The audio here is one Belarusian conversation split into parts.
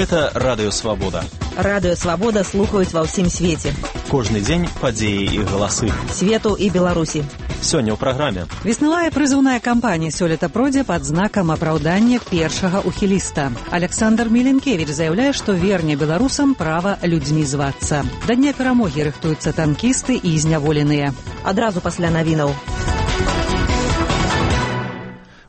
Гэта Радыё Свабода. Радыё Свабода слухаюць ва ўсім свеце. Кожны дзень падзеі і галасы Свету і Беларусі. Сёння ў праграме. Веснавая прызыўная кампанія сёлета пройдзе пад знакам апраўдання першага ухіліста. Александр Міленкевіч заяўляе, што верне беларусам права людзьмі звацца. Да дня перамогі рыхтуюцца танкісты і зняволеныя. Адразу пасля навінаў.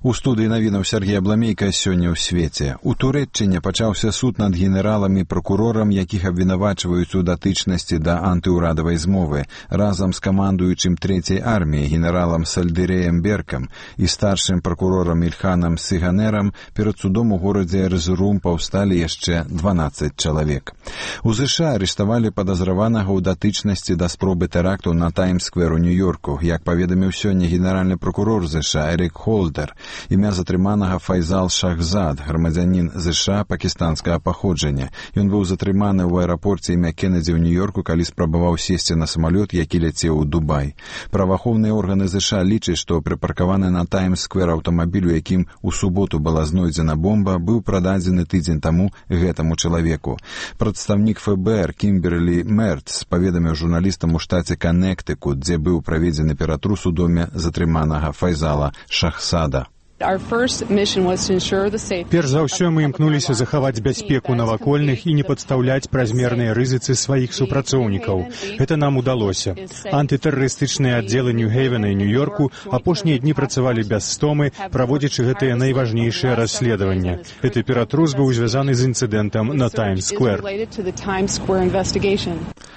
У студыі навінаў Сергей Абламейка сёння ў свеце. У Турэччыне пачаўся суд над генералам і пракурорам, якіх абвінавачваюць у датычнасці да антыўрадавай змовы, разам з камандуючым трэцяй арміяй генералам Сальдырэем Беркам і старшым пракурорам Ільханам Сыганерам перад судом у горадзе Эрзурум паўсталі яшчэ 12 чалавек. У ЗША арыштавалі падазраванага ў датычнасці да спробы тэракту на Таймс-сквер у Нью-Йорку, як паведаміў сёння генеральны пракурор ЗША Эрік Холдер. Імя затрыманага Файзал Шахзад, грамадзянін ЗША пакістанскага паходжання. Ён быў затрыманы ў аэрапорце імя Кеннеді ў Нью-Йорку, калі спрабаваў сесці на самалёт, які ляцеў у Дубай. Праваахоўныя органы ЗША лічаць, што прыпаркаваны на Таймс-сквер аўтамабіль, у якім у суботу была знойдзена бомба, быў прададзены тыдзень таму гэтаму чалавеку. Прадстаўнік ФБР Кімберлі Мерц паведаміў журналістам у штаце Каннектыкут, дзе быў праведзены ператрус у доме затрыманага Файзала Шахзада. Перш за ўсё мы імкнуліся захаваць бяспеку навакольных і не падстаўляць празмерныя рызыцы сваіх супрацоўнікаў. Гэта нам удалося. Антытэрарыстычныя аддзелы Нью-Хейвена і Нью-Йорку апошнія дні працавалі без стомы, праводзячы гэтыя найважнейшыя расследаванні. Гэты ператрус быў звязаны з інцыдэнтам на Таймс-сквер.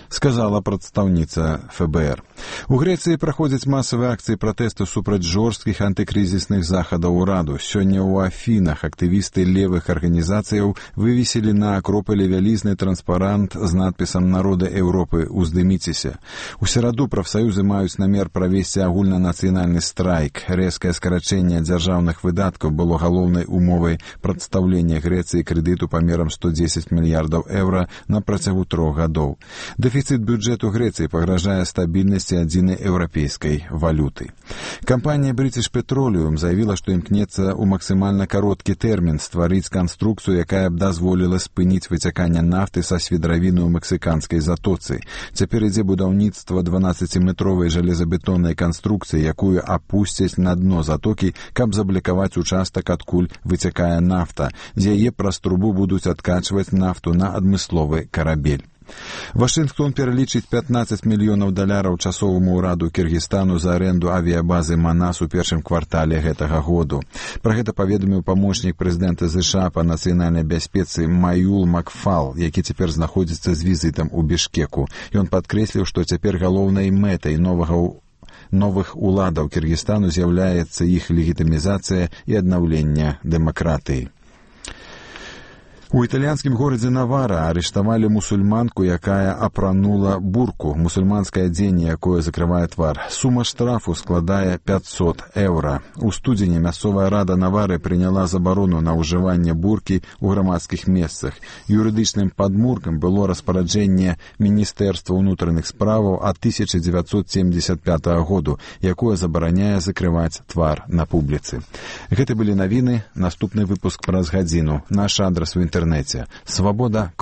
Сказала прадстаўніца ФБР. У Грэцыі праходзяць масавыя акцыі пратэсту супраць жорсткіх антыкрызісных захадаў ураду. Сёння ў Афінах актывісты левых арганізацыяў вывесілі на акропале вялізны транспарант з надпісам «Народы Еўропы, уздыміцеся». У сераду прафсаюзы маюць намер правесці агульнанацыянальны страйк. Рэзкае скарачэнне дзяржаўных выдаткаў было галоўнай умовай прадстаўлення Грэцыі крэдыту памерам 110 мільярдаў еўра на працягу 3 гадоў. Дэфіцыт бюджэту Грэцыі пагражае стабільнасці адзінай еўрапейскай валюты. Кампанія British Petroleum заявіла, што імкнецца ў максімальна кароткі тэрмін стварыць канструкцыю, якая б дазволіла спыніць выцяканне нафты са свідравіны ў мексіканскай затоцы. Цяпер ідзе будаўніцтва 12-метровай жалезабетоннай канструкцыі, якую апусцяць на дно затокі, каб заблокаваць участак, адкуль выцякае нафта. З яе праз трубу будуць адкачваць нафту на адмысловы карабель. Вашынгтон пералічыць $15 мільёнаў часоваму ўраду Кіргізстану за арэнду авіябазы Манас у першым квартале гэтага году. Пра гэта паведаміў памочнік прэзідэнта ЗША па нацыянальнай бяспецы Маюл Макфал, які цяпер знаходзіцца з візітам у Бішкеку. Ён падкрэсліў, што цяпер галоўнай мэтай новых уладаў Кіргізстану з'яўляецца іх легітымізацыя і аднаўленне дэмакратыі. У італьянскім горадзе Навара арыштавалі мусульманку, якая апранула бурку, мусульманскае адзенне, якое закрывае твар. Сума штрафу складае 500 еўра. У студзені мясцовая рада Навары прыняла забарону на ўжыванне буркі ў грамадскіх месцах. Юрыдычным падмуркам было распараджэнне Міністэрства ўнутраных справаў ад 1975 году, якое забараняе закрываць твар на публіцы. Гэта былі навіны, наступны выпуск праз гадзіну. Наш адрас у інтэрнэце. Свабода.